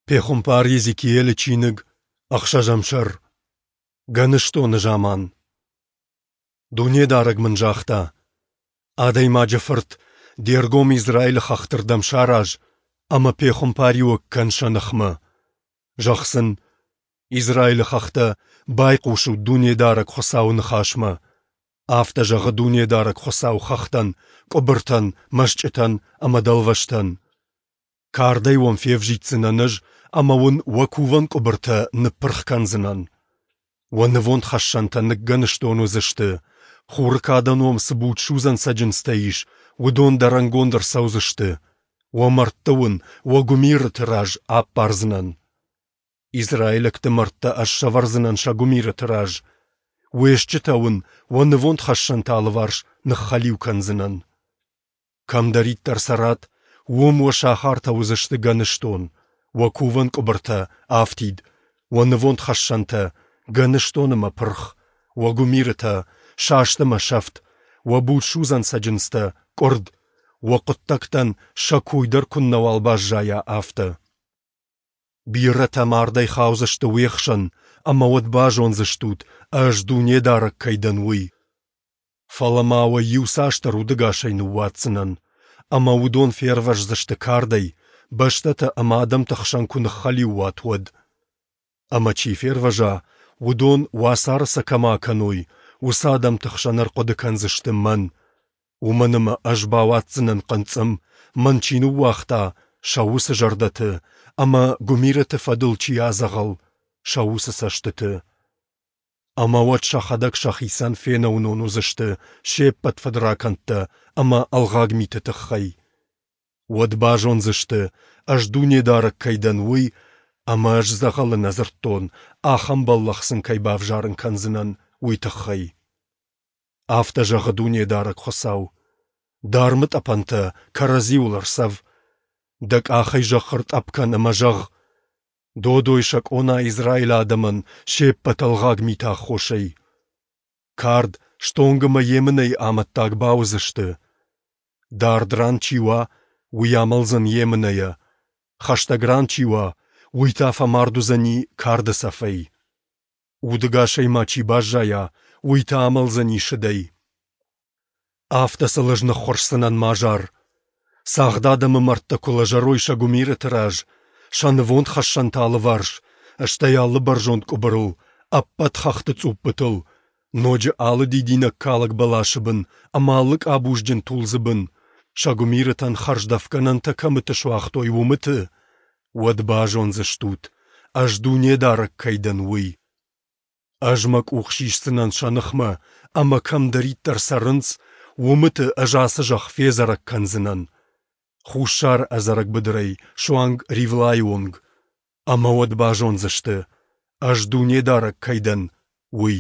Пехуымпар Йезекиелы чиныг, ӕхсӕзӕм сӕр. Гӕныстоны заман. Дунедарӕг мын загъта: Адӕймаджы фырт, де ргом Израилы хӕхты рдӕм сараз ӕмӕ пехуымпариуӕг кӕн сӕ ныхмӕ. Зӕгъ сын: Израилы хӕхтӕ, байхъусут Дунедарӕг Хуыцауы ныхасмӕ. Афтӕ зӕгъы Дунедарӕг Хуыцау хӕхтӕн, къуыбыртӕн, мӕсчъытӕн ӕмӕ дӕлвӕзтӕн. Кардӕй уӕм февзиддзынӕн ӕз ӕмӕ уын уӕ кувӕн къуыбыртӕ ныппырх кӕндзынӕн. Уӕ нывондхӕссӕнтӕ ныггӕныстон уыдзысты, хуры кадӕн уӕм цы будсудзӕн цӕджындзтӕ ис, уыдон дӕрӕнгонд ӕрцӕудзысты, уӕ мӕрдты уын уӕ гуымирыты раз аппардзынӕн. Израилӕгты мӕрдтӕ ӕз сӕвӕрдзынӕн сӕ гуымирыты раз, уе стджытӕ уын уӕ нывондхӕссӕнты алыварс ныххӕлиу кӕндзынӕн. Кӕмдӕриддӕр цӕрат, уым уӕ сахартӕ уыдзысты гӕныстон, уӕ кувӕн къуыбыртӕ — афтид, уӕ нывондхӕссӕнтӕ — гӕныстон ӕмӕ пырх, уӕ гуымирытӕ — саст ӕмӕ сӕфт, уӕ будсудзӕн цӕджындзтӕ — къуырд, уӕ хъуыддӕгтӕн сӕ кой дӕр куыннӕуал баззайа, афтӕ. Бирӕтӕ мардӕй хаудзысты уе хсӕн, ӕмӕ уӕд базондзыстут, Ӕз Дунедарӕг кӕй дӕн, уый. Фӕлӕ ма уӕ иуцасдӕр удӕгасӕй ныууадздзынӕн, ӕмӕ уыдон фервӕздзысты кардӕй, бӕстӕтӕ ӕмӕ адӕмты хсӕн куы ныххӕлиу уат, уӕд. Ӕмӕ чи фервӕза, уыдон, уацары сӕ кӕмӕ акӕной, уыцы адӕмты хсӕн ӕрхъуыды кӕндзысты Мӕн, уымӕн ӕмӕ Ӕз бауадздзынӕн хъынцъым, Мӕн чи ныууагъта, сӕ уыцы зӕрдӕты, ӕмӕ гуымирыты фӕдыл чи адзӕгъӕл, сӕ уыцы цӕстыты. Ӕмӕ уӕд сӕхӕдӕг сӕхицӕн фенӕуынон уыдзысты се ппӕт фыдракӕндтӕ ӕмӕ ӕлгъаг миты тыххӕй. Уӕд базондзысты, ӕз Дунедарӕг кӕй дӕн, уый, ӕмӕ ӕз дзӕгъӕлы нӕ дзырдтон, ахӕм бӕллӕх сын кӕй бавзарын кӕндзынӕн, уый тыххӕй. Афтӕ зӕгъы Дунедарӕг Хуыцау: Дӕ армытъӕпӕнтӕ кӕрӕдзиуыл ӕрцӕв, дӕ къахӕй зӕхх ӕртъӕпп кӕн ӕмӕ зӕгъ: Додой сӕ къона Израилы адӕмӕн се ппӕт ӕлгъаг миты аххосӕй. Кард, стонг ӕмӕ емынӕйы амӕттаг бауыдзысты. Дард ран чи уа, уый амӕлдзӕн емынӕйӕ, хӕстӕг ран чи уа, уый та фӕмард уыдзӕни карды цӕфӕй. Удӕгасӕй ма чи баззайа, уый та амӕлдзӕни сыдӕй. Афтӕ сыл ӕз ныххуырсдзынӕн мӕ азар. Цагъд адӕмы мӕрдтӕ куы лӕзӕрой сӕ гуымирыты раз, сӕ нывондхӕссӕнты алыварс, стӕй алы бӕрзонд къуыбырыл, ӕппӕт хӕхты цъуппытыл, ноджы алы дидинӕгкалӕг бӕласы бын ӕмӕ алы къабузджын тулдзы бын, сӕ гуымирытӕн хӕрздӕфгӕнӕнтӕ кӕмыты суагътой, уымыты, уӕд базондзыстут, ӕз Дунедарӕг кӕй дӕн, уый. Ӕз мӕ къух сисдзынӕн сӕ ныхмӕ, ӕмӕ кӕмдӕриддӕр цӕрынц, уымыты ӕз ацы зӕхх федзӕрӕг кӕндзынӕн. Хуссар ӕдзӕрӕг быдырӕй суанг Ривлайы онг. Ӕмӕ уӕд базондзысты, ӕз Дунедарӕг кӕй дӕн, уый.